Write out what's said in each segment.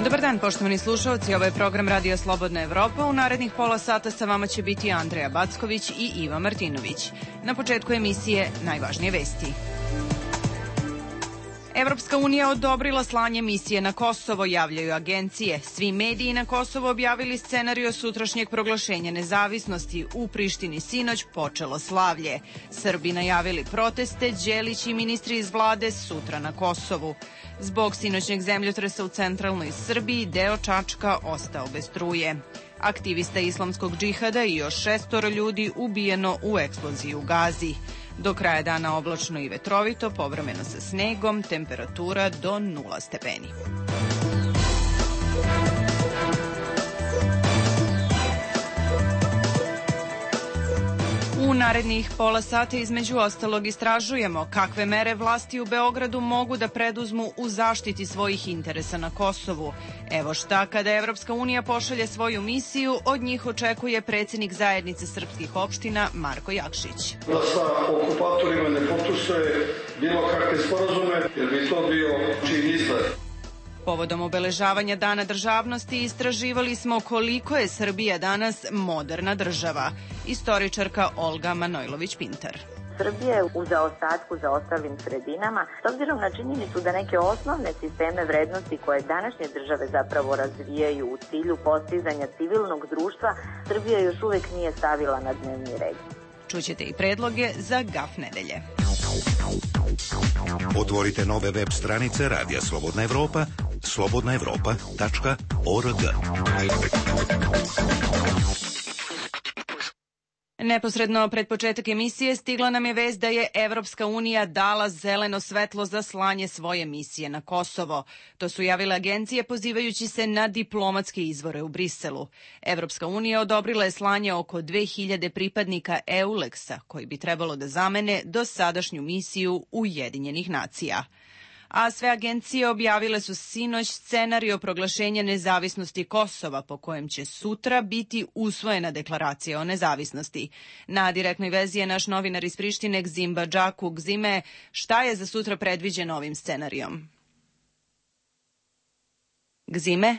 Dobar dan, poštovani slušalci, ovo je program Radio Slobodna Evropa. U narednih pola sata sa vama će biti Andreja Backović i Iva Martinović. Na početku emisije najvažnije vesti. Evropska unija odobrila slanje misije na Kosovo, javljaju agencije. Svi mediji na Kosovo objavili scenario sutrašnjeg proglašenja nezavisnosti. U Prištini sinoć počelo slavlje. Srbi najavili proteste, Đelić i ministri iz vlade sutra na Kosovu. Zbog sinoćnjeg zemljotresa u centralnoj Srbiji deo Čačka ostao bez struje. Aktivista islamskog džihada i još 6 ljudi ubijeno u eksploziji u Gazi. Do kraja dana oblačno i vetrovito, povremeno sa snegom, temperatura do 0 stepeni. U narednih pola sata između ostalog istražujemo kakve mere vlasti u Beogradu mogu da preduzmu u zaštiti svojih interesa na Kosovu. Evo šta, kada Evropska unija pošalje svoju misiju, od njih očekuje predsjednik zajednice srpskih opština Marko Jakšić. Da sa okupatorima ne potpisuje bilo kakve sporazume, jer bi to bio čin izdaje. Povodom obeležavanja Dana državnosti istraživali smo koliko je Srbija danas moderna država. Istoričarka Olga Manojlović-Pintar. Srbija je u zaostatku za ostalim sredinama, s obzirom na činjenicu da neke osnovne sisteme vrednosti koje današnje države zapravo razvijaju u cilju postizanja civilnog društva, Srbija još uvek nije stavila na dnevni red. Čućete i predloge za GAF nedelje. Otvorite nove web stranice Radija Slobodna Evropa, slobodnaevropa.org. Neposredno pred početak emisije stigla nam je vest da je Evropska unija dala zeleno svetlo za slanje svoje misije na Kosovo. To su javile agencije pozivajući se na diplomatske izvore u Briselu. Evropska unija odobrila je slanje oko 2000 pripadnika EULEX-a koji bi trebalo da zamene dosadašnju misiju Ujedinjenih nacija. A sve agencije objavile su sinoć scenario proglašenja nezavisnosti Kosova po kojem će sutra biti usvojena deklaracija o nezavisnosti. Na direktnoj vezi je naš novinar iz Prištine Gzim Badžaku. Gzime, šta je za sutra predviđeno ovim scenarijom? Gzime?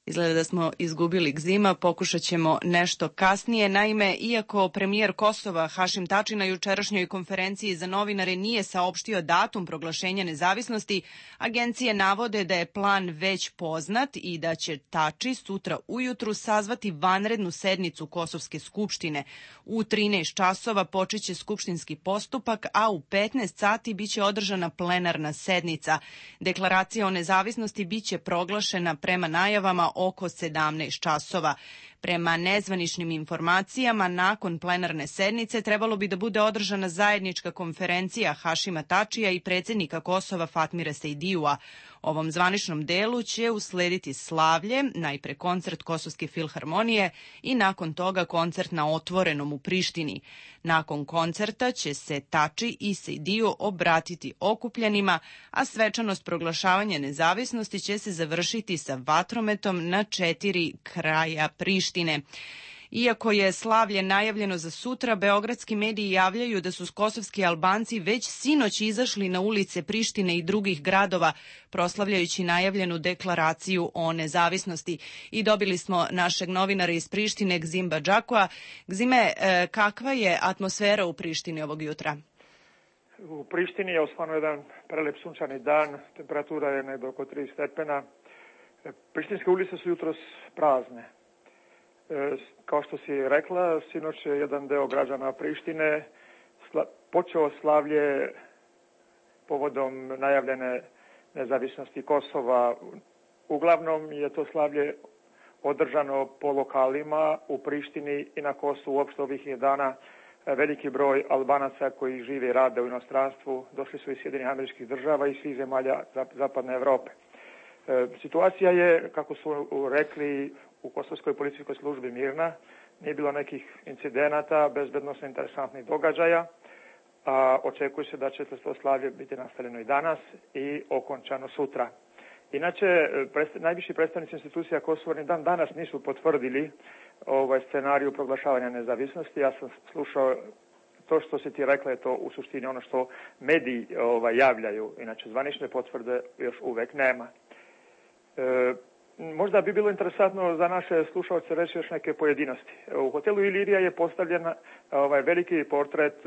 Izgleda da smo izgubili Gzima, pokušat ćemo nešto kasnije. Naime, iako premijer Kosova Hašim Tači na jučerašnjoj konferenciji za novinare nije saopštio datum proglašenja nezavisnosti, agencije navode da je plan već poznat i da će Tači sutra ujutru sazvati vanrednu sednicu Kosovske skupštine. U 13 časova počeće skupštinski postupak, a u 15 sati biće održana plenarna sednica. Deklaracija o nezavisnosti biće proglašena prema najavama oko 17 časova. Prema nezvaničnim informacijama, nakon plenarne sednice trebalo bi da bude održana zajednička konferencija Hašima Tačija i predsjednika Kosova Fatmira Sejdijua. Ovom zvaničnom delu će uslediti slavlje, najpre koncert Kosovske filharmonije i nakon toga koncert na otvorenom u Prištini. Nakon koncerta će se Tači i Sejdiju obratiti okupljenima, a svečanost proglašavanja nezavisnosti će se završiti sa vatrometom na 4 kraja Prištine. Iako je slavlje najavljeno za sutra, beogradski mediji javljaju da su kosovski Albanci već sinoć izašli na ulice Prištine i drugih gradova, proslavljajući najavljenu deklaraciju o nezavisnosti. I dobili smo našeg novinara iz Prištine, Gzim Badžakua. Gzime, kakva je atmosfera u Prištini ovog jutra? U Prištini je osvano jedan prelep sunčani dan, temperatura je negdje oko 3 stepena. Prištinske ulice su jutros prazne. Kao što si rekla, sinoć je jedan deo građana Prištine počeo slavlje povodom najavljene nezavisnosti Kosova. Uglavnom je to slavlje održano po lokalima u Prištini i na Kosovu. Uopšte ovih je dana veliki broj Albanaca koji žive i rade u inostranstvu. Došli su iz Sjedinjenih Američkih Država i svih zemalja Zapadne Evrope. Situacija je, kako su rekli u Kosovskoj policijskoj službi, mirna. Nije bilo nekih incidenata, bezbednosno interesantnih događaja. Očekuje se da će to slavlje biti nastavljeno i danas i okončano sutra. Inače, najviši predstavnici institucija Kosova ni dan danas nisu potvrdili scenariju proglašavanja nezavisnosti. Ja sam slušao to što si ti rekla, je to u suštini ono što mediji javljaju. Inače, zvanične potvrde još uvek nema. Možda bi bilo interesantno za naše slušalce reći još neke pojedinosti. U hotelu Ilirija je postavljen veliki portret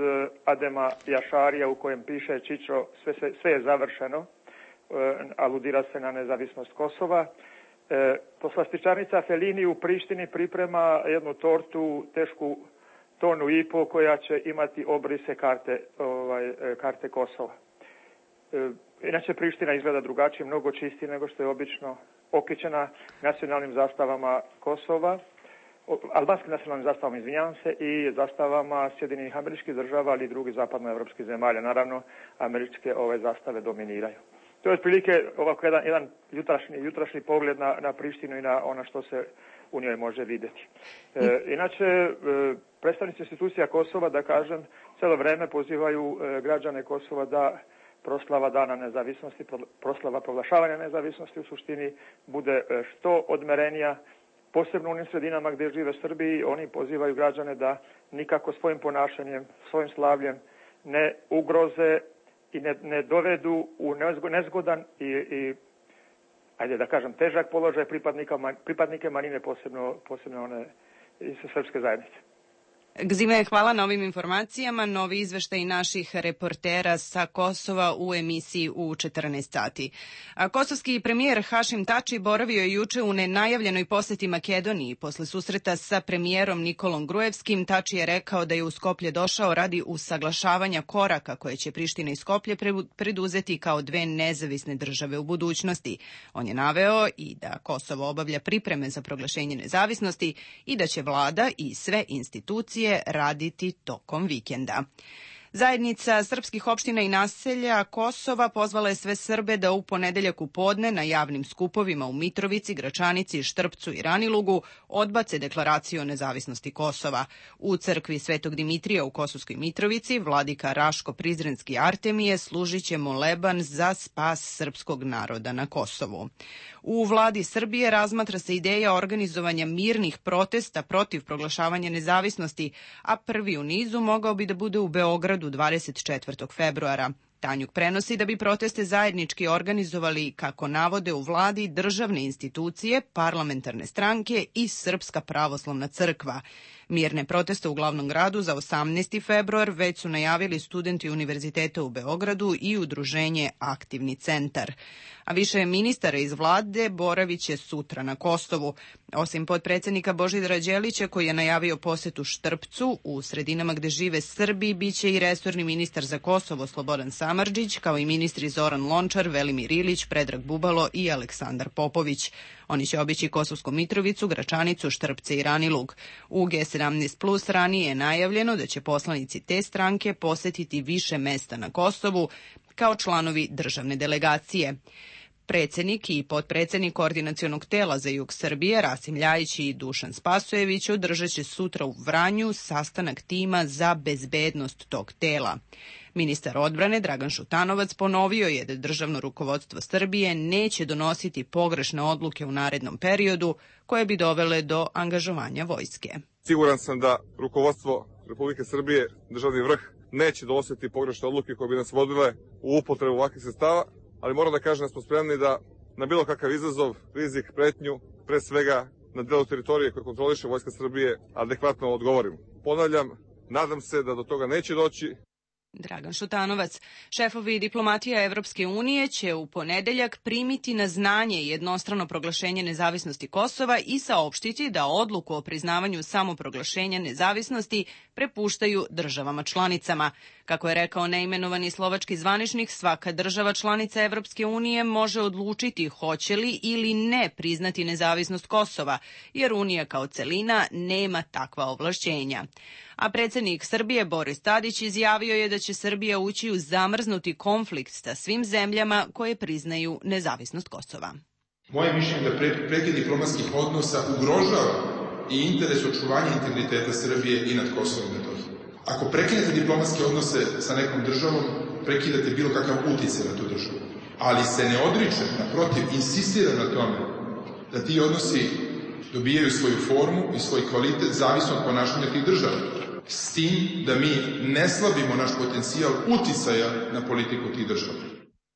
Adema Jašarija u kojem piše Čičo, sve je završeno, aludira se na nezavisnost Kosova. Poslastičarnica Felini u Prištini priprema jednu tortu tešku 1,5 tonu koja će imati obrise karte Kosova. Inače Priština izgleda drugačije, mnogo čistije nego što je obično, okićena nacionalnim zastavama Kosova, albanskim nacionalnim zastavama, izvinjavam se, i zastavama Sjedinjenih Američkih Država, ali i drugih zapadnoevropskih zemalja. Naravno, američke zastave dominiraju. To je otprilike ovako jedan jutrašnji pogled na Prištinu i na ono što se u njoj može vidjeti. Inače, predstavnici institucija Kosova, da kažem, cijelo vreme pozivaju građane Kosova da proslava dana nezavisnosti, proslava proglašavanja nezavisnosti u suštini bude što odmerenija, posebno u onim sredinama gdje žive Srbi. Oni pozivaju građane da nikako svojim ponašanjem, svojim slavljem ne ugroze i ne dovedu u nezgodan i ajde da kažem težak položaj pripadnike manjine, posebno one iz srpske zajednice. Gzime, hvala na ovim informacijama. Novi izveštaj naših reportera sa Kosova u emisiji u 14 sati. Kosovski premijer Hašim Tači boravio je juče u nenajavljenoj poseti Makedoniji. Posle susreta sa premijerom Nikolom Grujevskim, Tači je rekao da je u Skoplje došao radi usaglašavanja koraka koje će Priština i Skoplje preduzeti kao dve nezavisne države u budućnosti. On je naveo i da Kosovo obavlja pripreme za proglašenje nezavisnosti i da će vlada i sve institucije raditi tokom vikenda. Zajednica srpskih opština i naselja Kosova pozvala je sve Srbe da u ponedeljak u podne na javnim skupovima u Mitrovici, Gračanici, Štrpcu i Ranilugu odbace deklaraciju o nezavisnosti Kosova. U crkvi Svetog Dimitrija u Kosovskoj Mitrovici vladika Raško Prizrenski Artemije služit će moleban za spas srpskog naroda na Kosovu. U vladi Srbije razmatra se ideja organizovanja mirnih protesta protiv proglašavanja nezavisnosti, a prvi u nizu mogao bi da bude u Beogradu 24. februara. Tanjuk prenosi da bi proteste zajednički organizovali, kako navode u vladi, državne institucije, parlamentarne stranke i Srpska pravoslavna crkva. Mirne proteste u glavnom gradu za 18. februar već su najavili studenti Univerziteta u Beogradu i udruženje Aktivni centar. A više ministara iz vlade boravit će sutra na Kosovu. Osim potpredsednika Božidara Đelića, koji je najavio posetu Štrpcu, u sredinama gde žive Srbi biće i resorni ministar za Kosovo Slobodan Samardžić, kao i ministri Zoran Lončar, Velimir Ilić, Predrag Bubalo i Aleksandar Popović. Oni će obići Kosovsku Mitrovicu, Gračanicu, Štrpce i Ranilug. U G17+ ranije je najavljeno da će poslanici te stranke posetiti više mesta na Kosovu kao članovi državne delegacije. Predsednik i potpredsednik Koordinacionog tela za jug Srbije, Rasim Ljajić i Dušan Spasojević, održat će sutra u Vranju sastanak tima za bezbednost tog tela. Ministar odbrane Dragan Šutanovac ponovio je da državno rukovodstvo Srbije neće donositi pogrešne odluke u narednom periodu koje bi dovele do angažovanja vojske. Siguran sam da rukovodstvo Republike Srbije, državni vrh, neće donositi pogrešne odluke koje bi nas vodile u upotrebu ovakvih sredstava, ali moram da kažem da smo spremni da na bilo kakav izazov, rizik, pretnju, pre svega na delu teritorije koje kontroliše Vojska Srbije, adekvatno odgovorimo. Ponavljam, nadam se da do toga neće doći. Dragan Šutanovac. Šefovi diplomatija Evropske unije će u ponedeljak primiti na znanje jednostrano proglašenje nezavisnosti Kosova i saopštiti da odluku o priznavanju samoproglašenja nezavisnosti prepuštaju državama članicama. Kako je rekao neimenovani slovački zvaničnik, svaka država članica Evropske unije može odlučiti hoće li ili ne priznati nezavisnost Kosova, jer Unija kao celina nema takva ovlašćenja. A predsjednik Srbije Boris Tadić izjavio je da će Srbija ući u zamrznuti konflikt sa svim zemljama koje priznaju nezavisnost Kosova. Moje mišljenje je da prekid diplomatskih odnosa ugrožava i interes očuvanja integriteta Srbije i nad Kosovom i Metohijom. Ako prekinete diplomatske odnose sa nekom državom, prekidate bilo kakav uticaj na tu državu. Ali se ne odriče, naprotiv, insistira na tome da ti odnosi dobijaju svoju formu i svoj kvalitet zavisno od ponašanja tih država. S tim da mi ne slabimo naš potencijal uticaja na politiku tih država.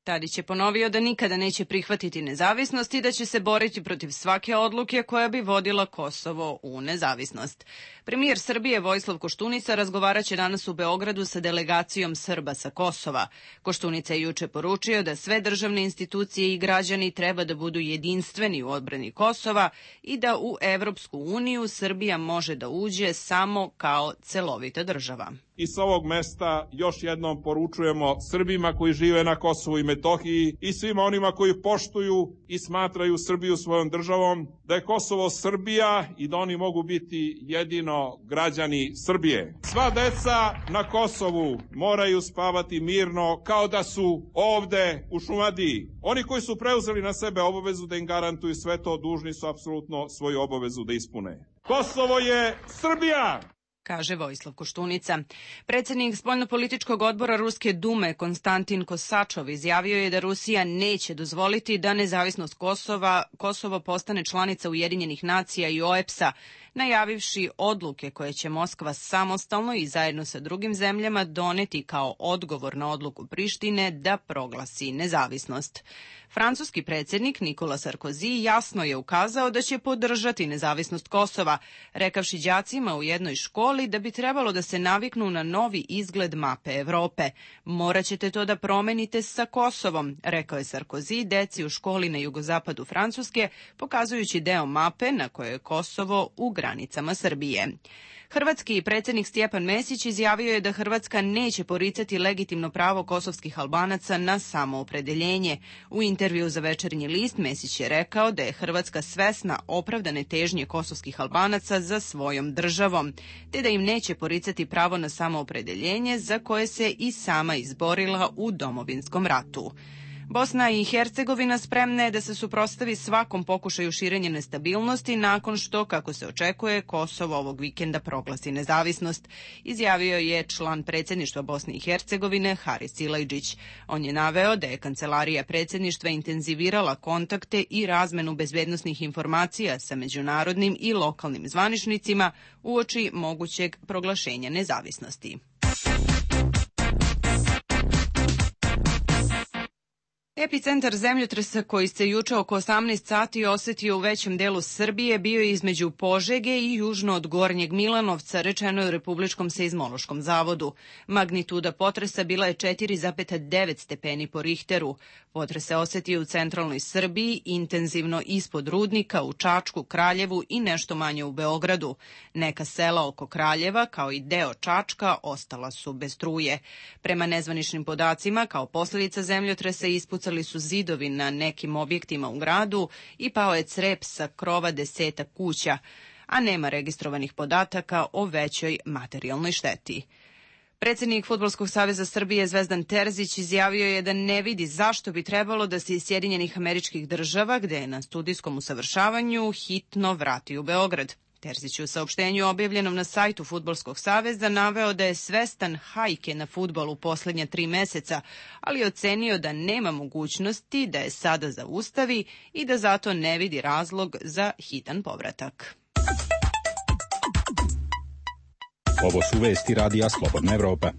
Tadić je ponovio da nikada neće prihvatiti nezavisnost i da će se boriti protiv svake odluke koja bi vodila Kosovo u nezavisnost. Premijer Srbije Vojislav Koštunica razgovaraće danas u Beogradu sa delegacijom Srba sa Kosova. Koštunica je juče poručio da sve državne institucije i građani treba da budu jedinstveni u odbrani Kosova i da u Evropsku uniju Srbija može da uđe samo kao celovita država. I sa ovog mesta još jednom poručujemo Srbima koji žive na Kosovu i Metohiji i svima onima koji poštuju i smatraju Srbiju svojom državom, da je Kosovo Srbija i da oni mogu biti jedino građani Srbije. Sva deca na Kosovu moraju spavati mirno kao da su ovde u Šumadiji. Oni koji su preuzeli na sebe obavezu da im garantuju sve to, dužni su apsolutno svoju obavezu da ispune. Kosovo je Srbija! Kaže Vojislav Koštunica. Predsjednik spoljnopolitičkog odbora Ruske dume Konstantin Kosačov izjavio je da Rusija neće dozvoliti da nezavisnost Kosovo postane članica Ujedinjenih nacija i OEBS-a, najavivši odluke koje će Moskva samostalno i zajedno sa drugim zemljama doneti kao odgovor na odluku Prištine da proglasi nezavisnost. Francuski predsjednik Nikola Sarkozy jasno je ukazao da će podržati nezavisnost Kosova, rekavši đacima u jednoj školi da bi trebalo da se naviknu na novi izgled mape Evrope. Moraćete to da promenite sa Kosovom, rekao je Sarkozy deci u školi na jugozapadu Francuske, pokazujući deo mape na kojoj je Kosovo u granicama Srbije. Hrvatski predsjednik Stjepan Mesić izjavio je da Hrvatska neće poricati legitimno pravo kosovskih Albanaca na samoopredeljenje. U intervju za Večernji list Mesić je rekao da je Hrvatska svesna opravdane težnje kosovskih Albanaca za svojom državom, te da im neće poricati pravo na samoopredeljenje za koje se i sama izborila u Domovinskom ratu. Bosna i Hercegovina spremna je da se suprotstavi svakom pokušaju širenja nestabilnosti nakon što, kako se očekuje, Kosovo ovog vikenda proglasi nezavisnost, izjavio je član predsjedništva Bosne i Hercegovine Haris Silajdžić. On je naveo da je kancelarija predsjedništva intenzivirala kontakte i razmenu bezbednosnih informacija sa međunarodnim i lokalnim zvaničnicima uoči mogućeg proglašenja nezavisnosti. Epicentar zemljotresa koji se juče oko 18 sati osetio u većem delu Srbije bio je između Požege i južno od Gornjeg Milanovca, rečeno je u Republičkom seizmološkom zavodu. Magnituda potresa bila je 4,9 stepeni po Richteru. Potres se osetio u centralnoj Srbiji, intenzivno ispod Rudnika, u Čačku, Kraljevu i nešto manje u Beogradu. Neka sela oko Kraljeva, kao i deo Čačka, ostala su bez struje. Prema nezvaničnim podacima, kao posljedica zemljotresa ispucali su zidovi na nekim objektima u gradu i pao je crep sa krova 10 kuća, a nema registrovanih podataka o većoj materijalnoj šteti. Predsjednik Fudbalskog saveza Srbije Zvezdan Terzić izjavio je da ne vidi zašto bi trebalo da se iz Sjedinjenih Američkih Država, gde je na studijskom usavršavanju, hitno vrati u Beograd. Terzić je u saopštenju objavljenom na sajtu Fudbalskog saveza naveo da je svestan hajke na fudbal u posljednja 3 meseca, ali je ocenio da nema mogućnosti da je sada zaustavi i da zato ne vidi razlog za hitan povratak. Ovo su vesti Radija Slobodna Evropa.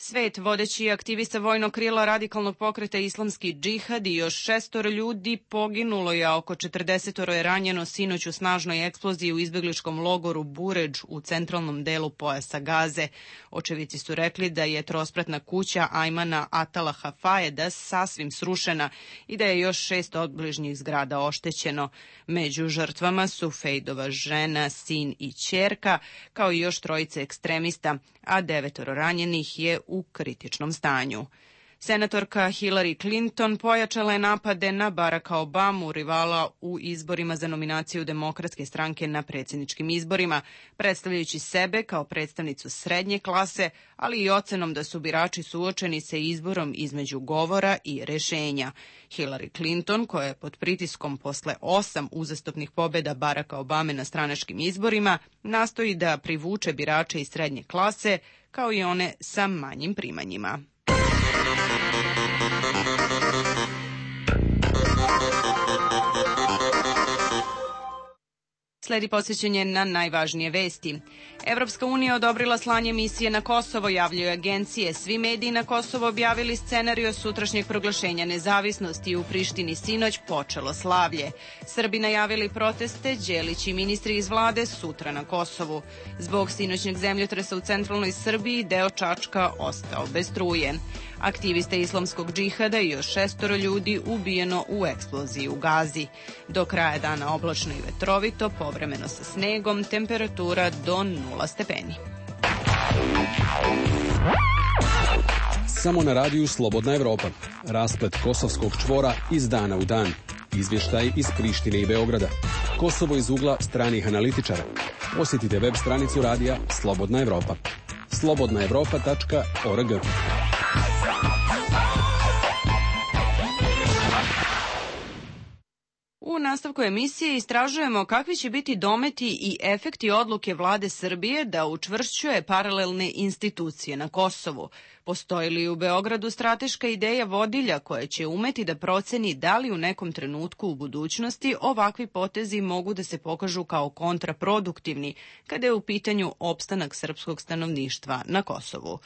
Svet, vodeći aktivista vojnog krila radikalnog pokreta Islamski džihad i još 6 ljudi poginulo je, a oko 40 je ranjeno sinoć u snažnoj eksploziji u izbegličkom logoru Buređ u centralnom delu pojasa Gaze. Očevici su rekli da je trospratna kuća Ajmana Atala Hafajeda sasvim srušena i da je još 6 obližnjih zgrada oštećeno. Među žrtvama su Fejdova žena, sin i ćerka, kao i još 3 ekstremista, a 9 ranjenih je u kritičnom stanju. Senatorka Hillary Clinton pojačala je napade na Baracka Obamu, rivala u izborima za nominaciju Demokratske stranke na predsjedničkim izborima, predstavljajući sebe kao predstavnicu srednje klase, ali i ocenom da su birači suočeni sa izborom između govora i rešenja. Hillary Clinton, koja je pod pritiskom posle 8 uzastopnih pobjeda Baracka Obame na stranačkim izborima, nastoji da privuče birače iz srednje klase, kao i one sa manjim primanjima. Sledi podsjećanje na najvažnije vesti. Evropska unija odobrila slanje misije na Kosovo, javljaju agencije. Svi mediji na Kosovo objavili scenarijo sutrašnjeg proglašenja nezavisnosti. U Prištini sinoć počelo slavlje. Srbi najavili proteste, Đelić i ministri iz vlade sutra na Kosovu. Zbog sinoćnjeg zemljotresa u centralnoj Srbiji deo Čačka ostao bez struje. Aktiviste islamskog džihada i još 6 ljudi ubijeno u eksploziji u Gazi. Do kraja dana oblačno i vetrovito, povremeno sa snegom, temperatura do 0 stepeni. Samo na radiju Slobodna Evropa. Rasplet kosovskog čvora iz dana u dan. Izvještaj iz Prištine i Beograda. Kosovo iz ugla stranih analitičara. Posjetite web stranicu radija Slobodna Evropa. slobodnaevropa.org. U nastavku emisije istražujemo kakvi će biti dometi i efekti odluke vlade Srbije da učvršćuje paralelne institucije na Kosovu. Postoji li u Beogradu strateška ideja vodilja koja će umeti da proceni da li u nekom trenutku u budućnosti ovakvi potezi mogu da se pokažu kao kontraproduktivni kada je u pitanju opstanak srpskog stanovništva na Kosovu.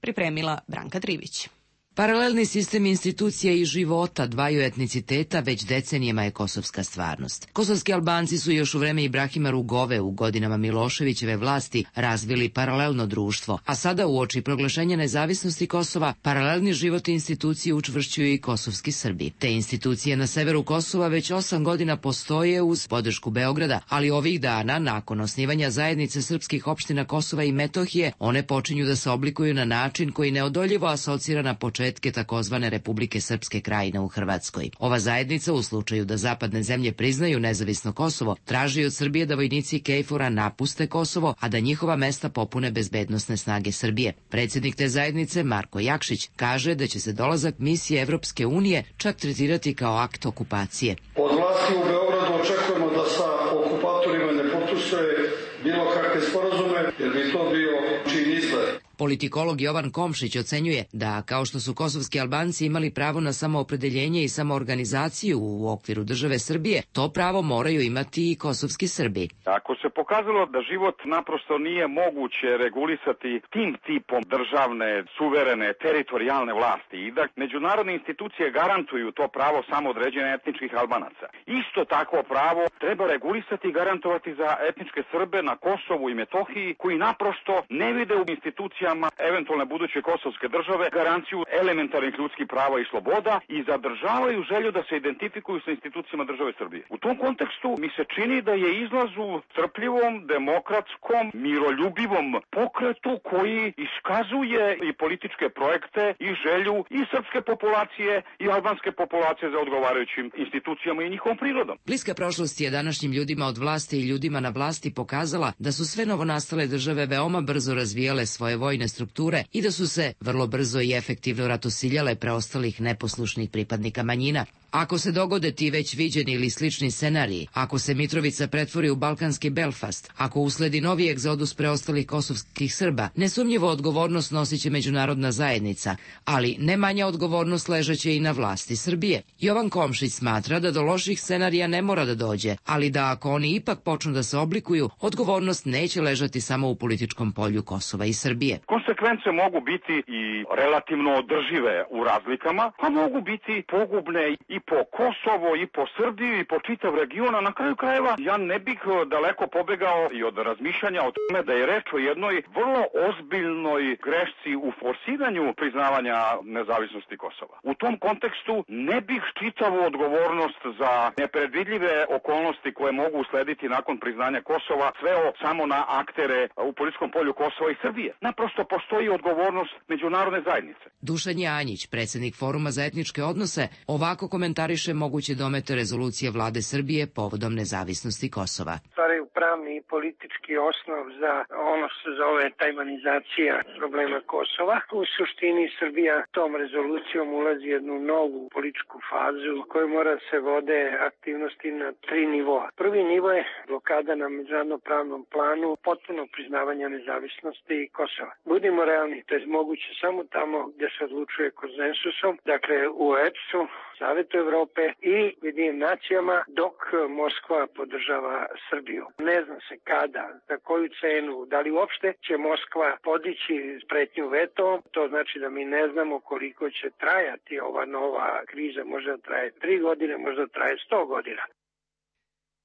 Pripremila Branka Trivić. Paralelni sistem institucija i života dvaju etniciteta već decenijama je kosovska stvarnost. Kosovski Albanci su još u vreme Ibrahima Rugove u godinama Miloševićeve vlasti razvili paralelno društvo, a sada uoči proglašenja nezavisnosti Kosova paralelni život i institucije učvršćuju i kosovski Srbi. Te institucije na severu Kosova već 8 godina postoje uz podršku Beograda, ali ovih dana, nakon osnivanja zajednice srpskih opština Kosova i Metohije, one počinju da se oblikuju na način koji neodoljivo asocira na početke takozvane Republike Srpske Krajine u Hrvatskoj. Ova zajednica, u slučaju da zapadne zemlje priznaju nezavisno Kosovo, traži od Srbije da vojnici KFOR-a napuste Kosovo, a da njihova mesta popune bezbednosne snage Srbije. Predsjednik te zajednice, Marko Jakšić, kaže da će se dolazak misije Evropske unije čak tretirati kao akt okupacije. Od vlasti u Beogradu očekujemo da sa okupatorima ne potpisuje bilo kakve sporazume, jer bi to bio čin izgled. Politikolog Jovan Komšić ocenjuje da, kao što su kosovski Albanci imali pravo na samoopredeljenje i samoorganizaciju u okviru države Srbije, to pravo moraju imati i kosovski Srbi. Ako se pokazalo da život naprosto nije moguće regulisati tim tipom državne, suverene, teritorijalne vlasti i da međunarodne institucije garantuju to pravo samoodređenja etničkih Albanaca, isto takvo pravo treba regulisati i garantovati za etničke Srbe na Kosovu i Metohiji koji naprosto ne vide u institucijama eventualne buduće kosovske države garanciju elementarnih ljudskih prava i sloboda i zadržavaju želju da se identifikuju sa institucijama države Srbije. U tom kontekstu mi se čini da je izlaz u strpljivom, demokratskom, miroljubivom pokretu koji iskazuje i političke projekte i želju i srpske populacije i albanske populacije za odgovarajućim institucijama i njihovom prirodom. Bliska prošlost je današnjim ljudima od vlasti i ljudima na vlasti pokazala da su sve novonastale države veoma brzo razvijale svoje vojne strukture i da su se vrlo brzo i efektivno ratosiljale preostalih neposlušnih pripadnika manjina. Ako se dogode ti već viđeni ili slični scenariji, ako se Mitrovica pretvori u balkanski Belfast, ako usledi novi egzodus preostalih kosovskih Srba, nesumnjivo odgovornost nosit će međunarodna zajednica, ali ne manja odgovornost ležeće i na vlasti Srbije. Jovan Komšić smatra da do loših scenarija ne mora da dođe, ali da ako oni ipak počnu da se oblikuju, odgovornost neće ležati samo u političkom polju Kosova i Srbije. Konsekvence mogu biti i relativno održive u razlikama, a mogu biti pogubne i po Kosovo, i po Srbiju, i po čitav region, a na kraju krajeva ja ne bih daleko pobegao i od razmišljanja o tome da je reč o jednoj vrlo ozbiljnoj grešci u forsiranju priznavanja nezavisnosti Kosova. U tom kontekstu ne bih čitavu odgovornost za nepredvidljive okolnosti koje mogu uslediti nakon priznanja Kosova sveo samo na aktere u političkom polju Kosova i Srbije. Naprosto postoji odgovornost međunarodne zajednice. Dušan Janjić, predsjednik Foruma za etničke odnose, ovako komentariše moguće domete rezolucije vlade Srbije povodom nezavisnosti Kosova. Stvaraju pravni i politički osnov za ono što se zove tajvanizacija problema Kosova. U suštini Srbija tom rezolucijom ulazi jednu novu političku fazu u kojoj mora se vode aktivnosti na 3 nivoa. Prvi nivo je blokada na međunarodnom pravnom planu potpuno priznavanja nezavisnosti Kosova. Budimo realni, to je moguće samo tamo gdje se odlučuje konsensusom, dakle u OEBS-u, Savetu Evrope i Ujedinjenim nacijama, dok Moskva podržava Srbiju. Ne zna se kada, za koju cenu, da li uopšte će Moskva podići pretnju vetom. To znači da mi ne znamo koliko će trajati ova nova kriza. Možda traje 3 godine, možda traje 100 godina.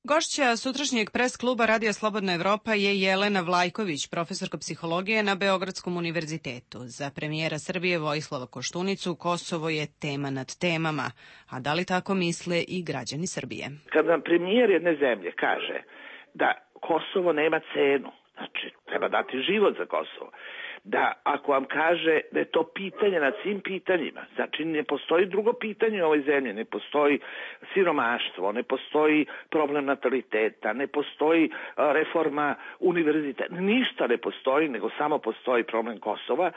Gošća sutrašnjeg pres kluba Radija Slobodna Evropa je Jelena Vlajković, profesorka psihologije na Beogradskom univerzitetu. Za premijera Srbije Vojislava Koštunicu Kosovo je tema nad temama. A da li tako misle i građani Srbije? Kad nam premijer jedne zemlje kaže da Kosovo nema cenu, znači treba dati život za Kosovo, da ako vam kaže da je to pitanje nad svim pitanjima, znači ne postoji drugo pitanje u ovoj zemlji, ne postoji siromaštvo, ne postoji problem nataliteta, ne postoji reforma univerziteta, ništa ne postoji, nego samo postoji problem Kosova,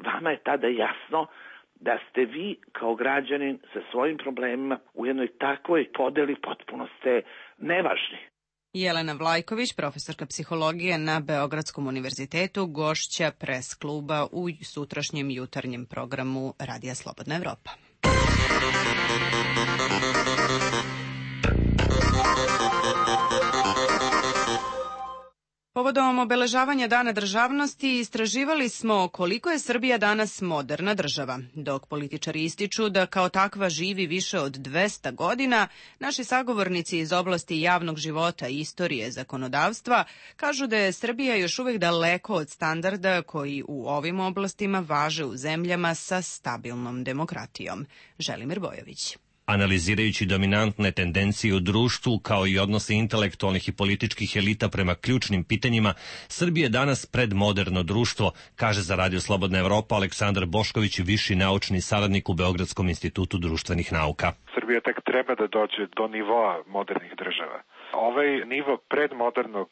vama je tada jasno da ste vi kao građanin sa svojim problemima u jednoj takvoj podeli potpuno ste nevažni. Jelena Vlajković, profesorka psihologije na Beogradskom univerzitetu, gošća pres kluba u sutrašnjem jutarnjem programu Radija Slobodna Evropa. Povodom obeležavanja Dana državnosti istraživali smo koliko je Srbija danas moderna država. Dok političari ističu da kao takva živi više od 200 godina, naši sagovornici iz oblasti javnog života, istorije, zakonodavstva kažu da je Srbija još uvek daleko od standarda koji u ovim oblastima važe u zemljama sa stabilnom demokratijom. Želimir Bojović. Analizirajući dominantne tendencije u društvu kao i odnose intelektualnih i političkih elita prema ključnim pitanjima, Srbija je danas predmoderno društvo, kaže za Radio Slobodna Evropa Aleksandar Bošković, viši naučni saradnik u Beogradskom institutu društvenih nauka. Srbija tek treba da dođe do nivoa modernih država. Ovaj nivo predmodernog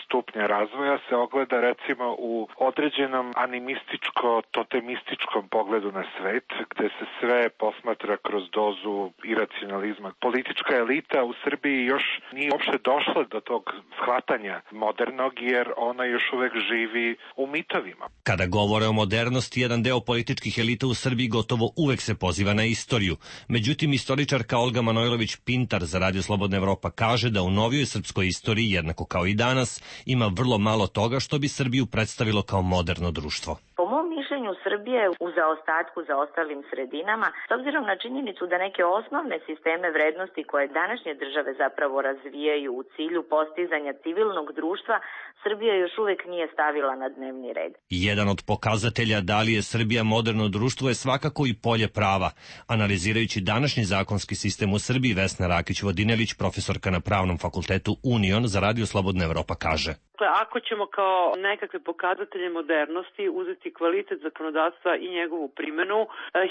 stupnja razvoja se ogleda recimo u određenom animističko-totemističkom pogledu na svet, gde se sve posmatra kroz dozu iracionalizma. Politička elita u Srbiji još nije uopšte došla do tog shvatanja modernog, jer ona još uvek živi u mitovima. Kada govore o modernosti, jedan deo političkih elita u Srbiji gotovo uvek se poziva na istoriju. Međutim, istoričarka Olga Manojlović-Pintar za Radio Slobodna Evropa kaže da u novijoj srpskoj istoriji, jednako kao i danas, ima vrlo malo toga što bi Srbiju predstavilo kao moderno društvo. Po mom mišljenju Srbije u zaostatku za ostalim sredinama, s obzirom na činjenicu da neke osnovne sisteme vrednosti koje današnje države zapravo razvijaju u cilju postizanja civilnog društva, Srbija još uvek nije stavila na dnevni red. Jedan od pokazatelja da li je Srbija moderno društvo je svakako i polje prava. Analizirajući današnji zakonski sistem u Srbiji, Vesna Rakić-Vodinelić, profesorka na Pravnom fakultetu Union za Radio Slobodna Evropa, kaže: Ako ćemo kao nekakve pokazatelje modernosti uzeti kvalitet zakonodavstva i njegovu primjenu,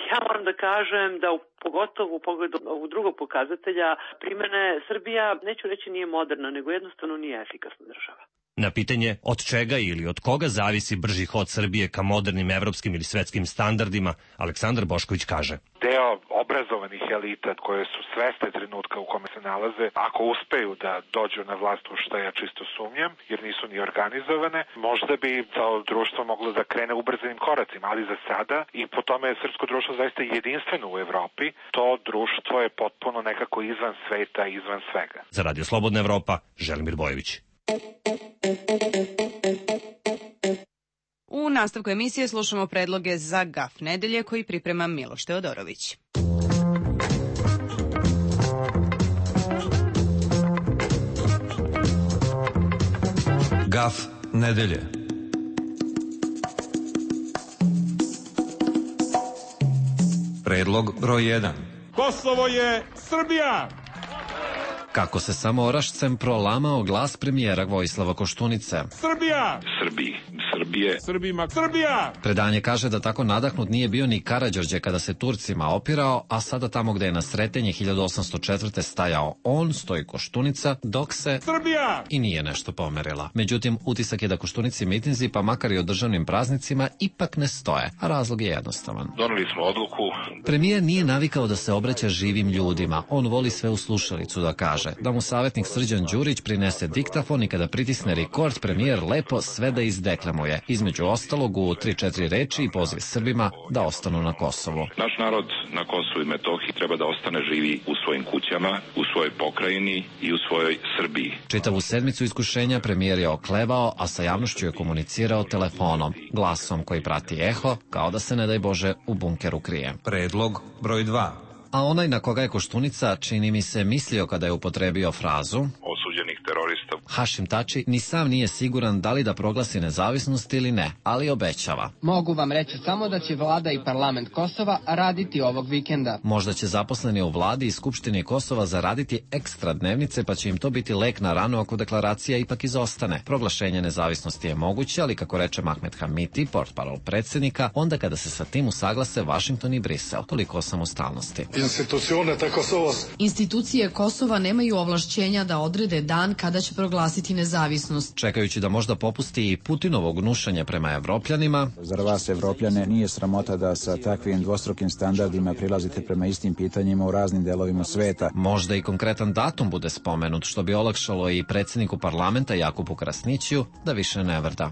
ja moram da kažem da pogotovo u pogledu ovog drugog pokazatelja primjene, Srbija, neću reći nije moderna, nego jednostavno nije efikasna država. Na pitanje od čega ili od koga zavisi brži hod Srbije ka modernim evropskim ili svetskim standardima, Aleksandar Bošković kaže: Deo obrazovanih elita koje su svesne trenutka u kome se nalaze, ako uspeju da dođu na vlast, u što ja čisto sumnjam, jer nisu ni organizovane, možda bi to društvo moglo da krene ubrzanim koracima, ali za sada, i po tome je srpsko društvo zaista jedinstveno u Evropi, to društvo je potpuno nekako izvan sveta, izvan svega. Za Radio Slobodna Evropa, Želimir Bojović. U nastavku emisije slušamo predloge za GAF nedelje koji priprema Miloš Teodorović. GAF nedelje. Predlog broj 1. Kosovo je Srbija! Kako se samo Orašcem prolamao glas premijera Vojislava Koštunice. Srbija! Srbiji. Srbije. Srbima. Srbija! Predanje kaže da tako nadahnut nije bio ni Karađorđe kada se Turcima opirao, a sada tamo gde je na Sretenje 1804. stajao on, stoji Koštunica, dok se Srbija! I nije nešto pomerila. Međutim, utisak je da Koštunici mitinzi, pa makar i o državnim praznicima, ipak ne stoje, a razlog je jednostavan. Doneli smo odluku. Premijer nije navikao da se obraća živim ljudima. On voli sve u slušalicu da kaže. Da mu savjetnik Srđan Đurić prinese diktafon i kada pritisne rekord, premijer lepo sve da izdeklamuje. je, između ostalog u 3-4 reči i poziv Srbima da ostanu na Kosovu. Naš narod na Kosovu i Metohiji treba da ostane živi u svojim kućama, u svojoj pokrajini i u svojoj Srbiji. Čitavu sedmicu iskušenja premijer je oklevao, a sa javnošću je komunicirao telefonom, glasom koji prati eho, kao da se, ne daj Bože, u bunkeru krije. Predlog broj 2. A onaj na koga je Koštunica, čini mi se, mislio kada je upotrebio frazu osuđenih terorista. Hašim Tači ni sam nije siguran da li da proglasi nezavisnost ili ne, ali obećava. Mogu vam reći samo da će vlada i parlament Kosova raditi ovog vikenda. Možda će zaposleni u vladi i Skupštini Kosova zaraditi ekstra dnevnice, pa će im to biti lek na ranu ako deklaracija ipak izostane. Proglašenje nezavisnosti je moguće, ali kako reče Mahmed Hamiti, portparol predsjednika, onda kada se sa tim usaglase Vašington i Brisel. Toliko o samostalnosti. Institucije Kosova nemaju ovlašćenja da odrede dan kada će proglasiti nezavisnost. Čekajući da možda popusti i Putinovo gnušanje prema Evropljanima. Zar vas Evropljane nije sramota da sa takvim dvostrukim standardima prilazite prema istim pitanjima u raznim delovima sveta? Možda i konkretan datum bude spomenut, što bi olakšalo i predsjedniku parlamenta Jakubu Krasnićiju da više ne vrda.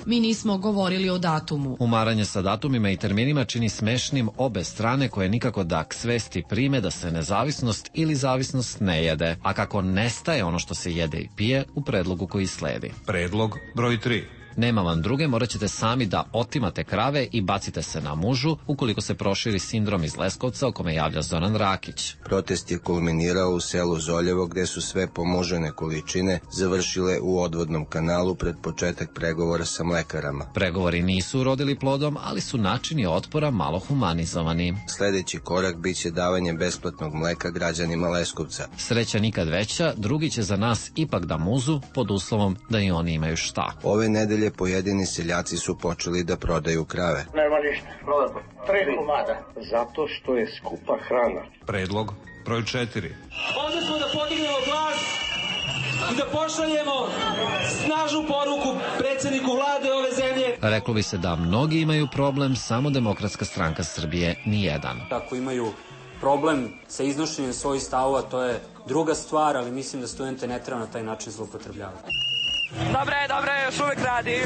Mi nismo govorili o datumu. Umaranje sa datumima i terminima čini smešnim obe strane koje nikako da k svesti prime da se nezavisnost ili zavisnost ne jede, a kako nestaje ono što se jede i pije u predlogu koji sledi. Predlog broj 3. Nema vam druge, morat ćete sami da otimate krave i bacite se na mužu ukoliko se proširi sindrom iz Leskovca o kome javlja Zoran Rakić. Protest je kulminirao u selu Zoljevo gde su sve pomožene količine završile u odvodnom kanalu pred početak pregovora sa mlekarama. Pregovori nisu urodili plodom, ali su načini otpora malo humanizovani. Sledeći korak biće davanje besplatnog mleka građanima Leskovca. Sreća nikad veća, drugi će za nas ipak da muzu pod uslovom da i oni imaju šta. Ove nedelje pojedini seljaci su počeli da prodaju krave. Nema ništa, prodamo 3 komada, zato što je skupa hrana. Predlog broj 4. Ovdje smo da podignemo glas i da pošaljemo snažnu poruku predsjedniku vlade ove zemlje. Reklo bi se da mnogi imaju problem, samo Demokratska stranka Srbije nijedan. Ako imaju problem sa iznošenjem svojih stavova, to je druga stvar, ali mislim da studente ne treba na taj način zloupotrebljavati. Dobre, još uvek radim.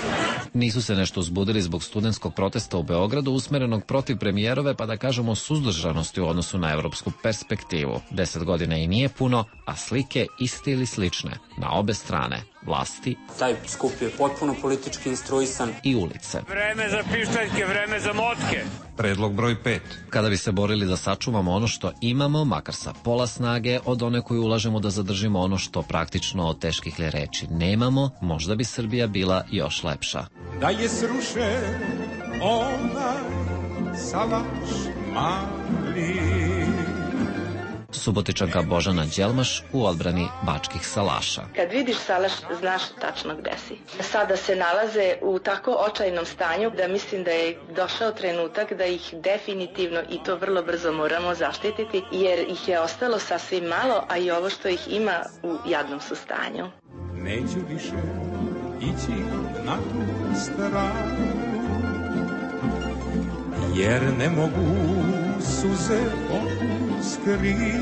Nisu se nešto uzbudili zbog studentskog protesta u Beogradu usmerenog protiv premijerove, pa da kažemo suzdržanosti u odnosu na evropsku perspektivu. 10 godina i nije puno, a slike iste ili slične na obe strane vlasti. Taj skup je potpuno politički instruisan. I ulice. Vreme za pištaljke, vreme za motke. Predlog broj 5. Kada bi se borili da sačuvamo ono što imamo, makar sa pola snage od one koju ulažemo da zadržimo ono što praktično od teških li reči nemamo, možda bi Srbija bila još lepša. Da je srušen onaj salaš mali. Subotičanka Božana Đelmaš u odbrani bačkih salaša. Kad vidiš salaš, znaš tačno gde si. Sada se nalaze u tako očajnom stanju da mislim da je došao trenutak da ih definitivno i to vrlo brzo moramo zaštititi, jer ih je ostalo sasvim malo, a i ovo što ih ima u jadnom su stanju. Neću više ići na tu stranu, jer ne mogu suze skriti.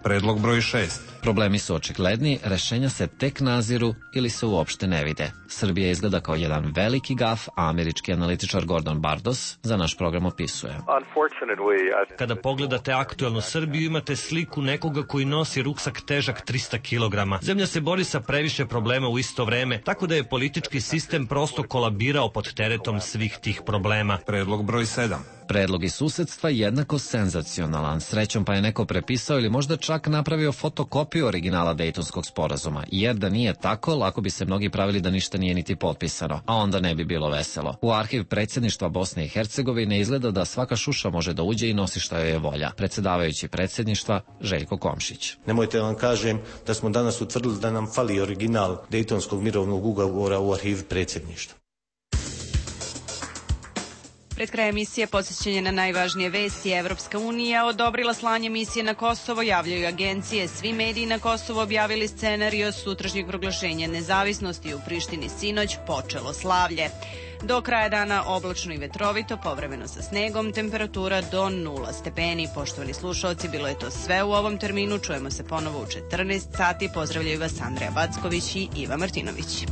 Predlog broj 6. Problemi su očigledni, rešenja se tek naziru ili se uopšte ne vide. Srbija izgleda kao jedan veliki gaf, a američki analitičar Gordon Bardos za naš program opisuje. Kada pogledate aktuelnu Srbiju, imate sliku nekoga koji nosi ruksak težak 300 kg. Zemlja se bori sa previše problema u isto vreme, tako da je politički sistem prosto kolabirao pod teretom svih tih problema. Predlog broj 7. Predlog iz susedstva jednako senzacionalan. Srećom pa je neko prepisao ili možda čak napravio fotokopiju originala Dejtonskog sporazuma, jer da nije tako, lako bi se mnogi pravili da ništa nije niti potpisano, a onda ne bi bilo veselo. U arhiv predsjedništva Bosne i Hercegovine izgleda da svaka šuša može da uđe i nosi šta joj je volja. Predsjedavajući predsjedništva Željko Komšić. Nemojte vam kažem da smo danas utvrdili da nam fali original Dejtonskog mirovnog ugovora u arhiv predsjedništva. Pred krajem emisije podsjećanje na najvažnije vesti. Evropska unija odobrila slanje misije na Kosovo, javljaju agencije. Svi mediji na Kosovo objavili scenario sutrašnjeg proglašenja nezavisnosti. U Prištini sinoć počelo slavlje. Do kraja dana oblačno i vetrovito, povremeno sa snegom, temperatura do 0 stepeni. Poštovani slušalci, bilo je to sve u ovom terminu. Čujemo se ponovo u 14 sati. Pozdravljaju vas Andreja Backović i Iva Martinović.